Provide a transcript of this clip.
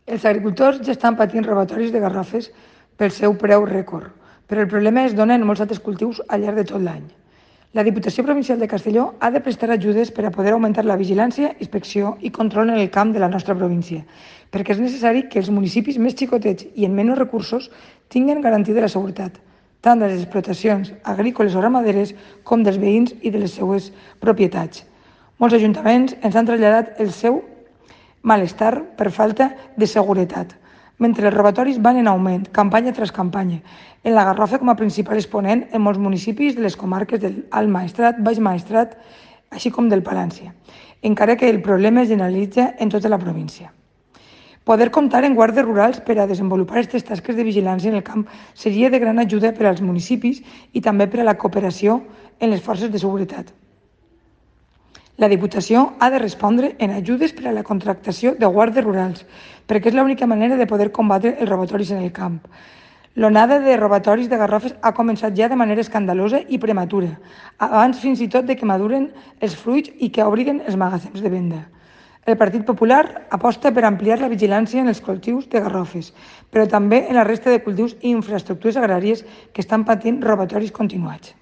Els agricultors ja estan patint robatoris de garrofes pel seu preu rècord, però el problema es dona en molts altres cultius al llarg de tot l'any. La Diputació Provincial de Castelló ha de prestar ajudes per a poder augmentar la vigilància, inspecció i control en el camp de la nostra província, perquè és necessari que els municipis més xicotets i amb menys recursos tinguin garantida la seguretat, tant de les explotacions agrícoles o ramaderes com dels veïns i de les seues propietats. Molts ajuntaments ens han traslladat el seu malestar per falta de seguretat. Mentre els robatoris van en augment, campanya tras campanya, en la Garrofa com a principal exponent en molts municipis de les comarques del Alt Maestrat, Baix Maestrat, així com del Palància, encara que el problema es generalitza en tota la província. Poder comptar en guàrdies rurals per a desenvolupar aquestes tasques de vigilància en el camp seria de gran ajuda per als municipis i també per a la cooperació en les forces de seguretat. La Diputació ha de respondre en ajudes per a la contractació de guàrdies rurals, perquè és l'única manera de poder combatre els robatoris en el camp. L'onada de robatoris de garrofes ha començat ja de manera escandalosa i prematura, abans fins i tot de que maduren els fruits i que obriguen els magatzems de venda. El Partit Popular aposta per ampliar la vigilància en els cultius de garrofes, però també en la resta de cultius i infraestructures agràries que estan patint robatoris continuats.